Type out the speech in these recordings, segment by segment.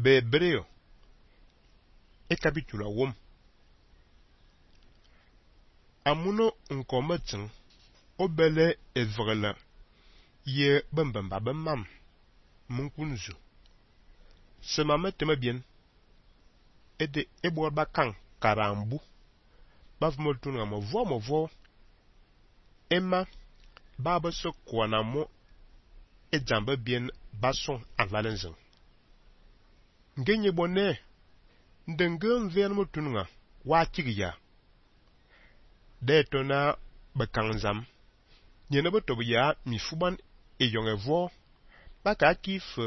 be Hebreo e capitula wom. Amuno nkometin obele evrela ye bembemba bemam munkunzu. Sema meteme bien ede ebor bakang karambu bavmotuna movo Emma baba se kwana mo e jambe bien bason avalenzen. Ngenye bonne ndenge mven motunga wa tigiya. De tona bakangzam nyene botobu ya mifuban e yongevo baka kif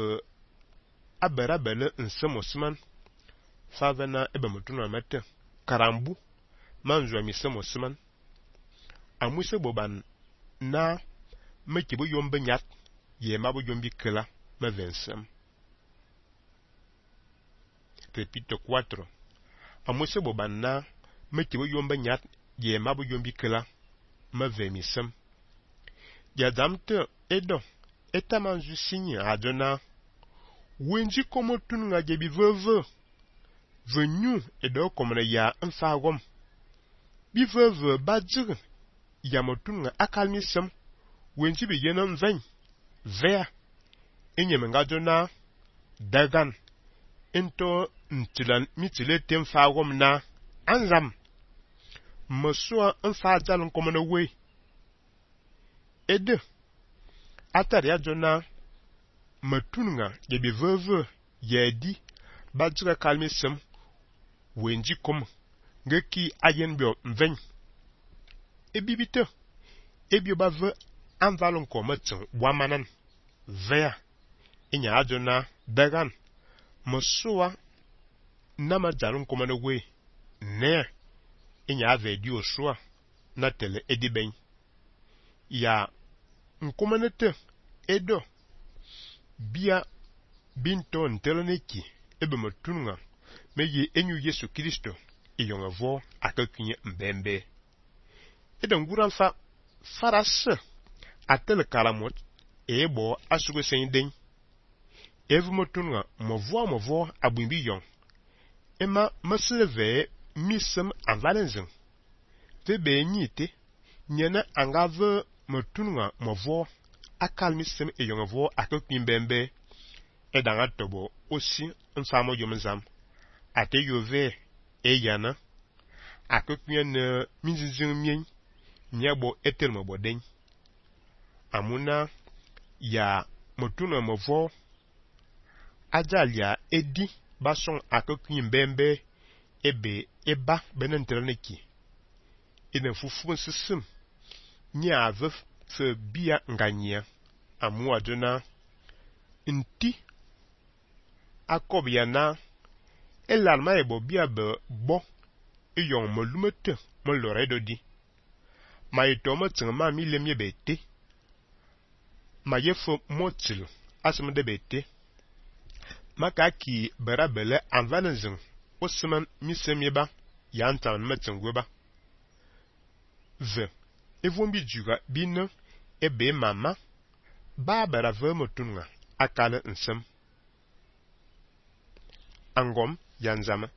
aberabele nsemosman favena ebe motuna mete karambu manzwa misemosman amwise boban na mekibo yombe nyat ye mabo yombi kela me vensem. Repito 4. Amwise boban na mekibo yombe nyat ye mabo yombi kela me vemisem. Ya damte edo etamanzu sinye adona wenji komotun nga jebi veve venyu edo komene ya mfagom bi veve badjir ya motun nga akalmisem wenji bi yenem veny vea enyem nga dona dagan into ntilan mitile tem fagom na anzam mesua mfajal nkomene we ede atari adona matunga jebi veve yedi badjira kalmisem wenji kom ngeki ayen bio mveny ebibite ebio bave anvalon kometin wamanan vea inya adona dagan mesua nama jalon komene we ne inya ave dio sua na tele ediben ya nkomenete edo bia binto nteloneki ebe motunga meye enyu Yesu Kristo iyongevo akakunye mbembe edo nguran fa farase atele karamot ebo asugo senden evu motunga movo abumbi yon ema mesleve misem anvalenzen tebe nyite nyene angave motunga movo akalmisem eyongevo akakunye mbembe edanga tobo osi mfamo yomzam ate yove eyana akakunye ne minzizin mien nyabo etelmo boden amuna ya motuna movo ajalia edi bason akakunye mbembe ebe eba benenteleneki ina fufu nsisim nya ave fe bia nganyia amu adona nti akobia elalma ebo bia be bo eyon molumete molore di ma itomo tsingma mi lemye bete ma yefo motil asem de bete maka ki barabele anvanezin osman misemyeba yantan metingweba ve evombi juga bina ebe mama ba barave motunga akale nsem angom yanzama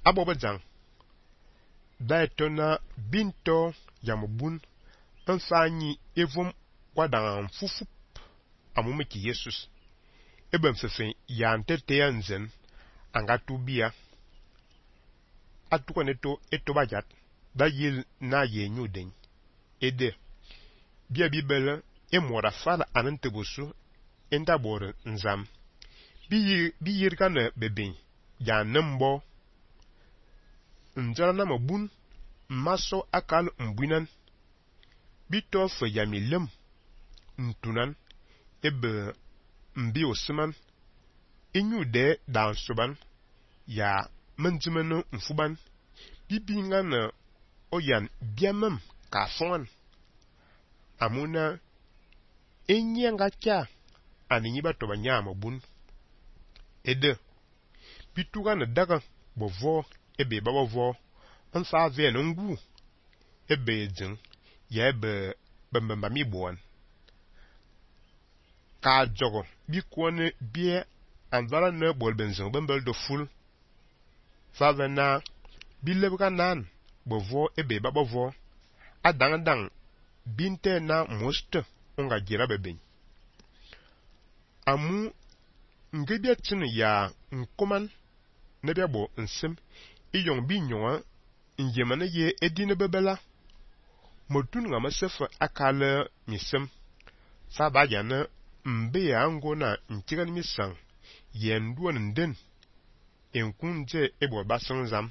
abobajang daetona binto yamubun mfanyi evom kwadang fufup amumeki Jesus ebe mfefe yantete yanzen angatubia atukoneto etobajat da yil na yenyuden ede bia bibele emora fala anantebosu endabore nzam biyir kana beben ya nembo njana na mabun maso akal mbuinan bito fe yamilem ntunan ebe mbi osman inyude dan suban ya menjimeno mfuban bibinga na oyan biamem kafon amuna enyanga kya aninyi batoba nyama bun ede bituga na daga bovo ebe babovo nfa ve no ngu ebe jin ya ebe bembemba mi bon ka jogo bi kwone bie anvala ne bol benzing bembel de ful fa vena bilebga nan bovo ebe ba bovo adang binte na most unga gira beben amu ngebia tinu ya nkoman nebia bo nsem iyong bi nyonga njemane ye edine bebela modun nga masefa akala misem sa ba yana mbe ya ngo na ntigan misang yendu nden enkunje ebo basang zam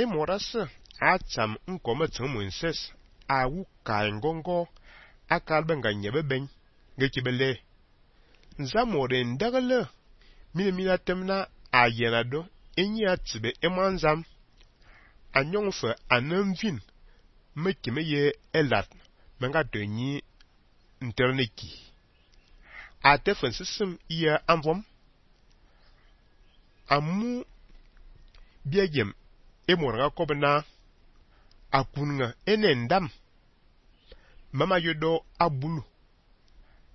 emorasa atsam nkoma tsumu inses awu ka ngongo akal benga nyebeben ngekibele nzamore ndagala mina temna ayenado enyi atibe emanzam anyongfa anamvin mekime ye elat menga donyi interneki atefen system iya anvom amu biegem emoranga kobna akunga enendam mama yodo abulu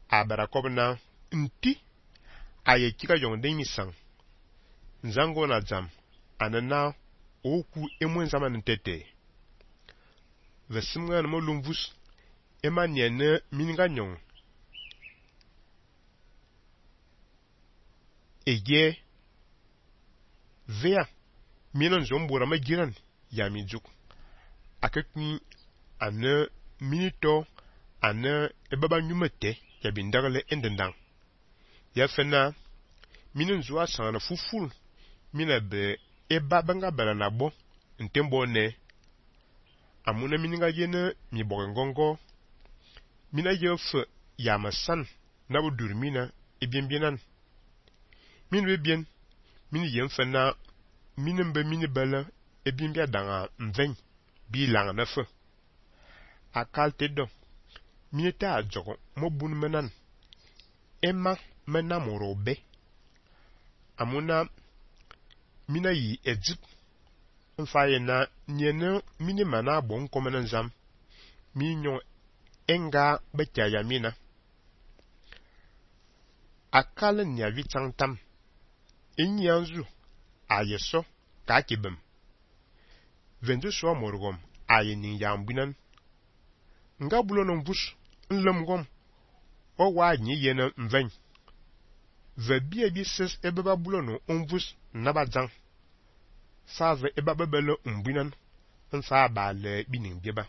abara kobna nti aye kika yonde misang nzango na zam anana oku emwen zaman ntete vesimga na molumvus emanyene mininga nyong eye vea minon zombura majiran ya mijuk akekni ane minito ane ebaba nyumete ya bindagale endendang ya fena minin zuwa sana fuful mina be eba banga bala na bo ntembo ne amuna mininga yene mi bogengongo mina yefe ya masan na budur mina ebienbienan min webien mini yem fena minin be mini bala ebienbia danga mven bi langa na fe akal tedo minita ajogo mobun menan emma mena morobe amuna mina yi ejip mfaye na nyene mini mana bon komenen zam minyo enga bekaya mina akal nya vitangtam enyanzu ayeso kakibem vendu so morgom ayeni yambinan nga bulono bus nlemgom o wa nyi yena mven ve bia bi ses ebeba bulono onvus nabadzang save ebaba belo mbinan nsa ba le binin bieba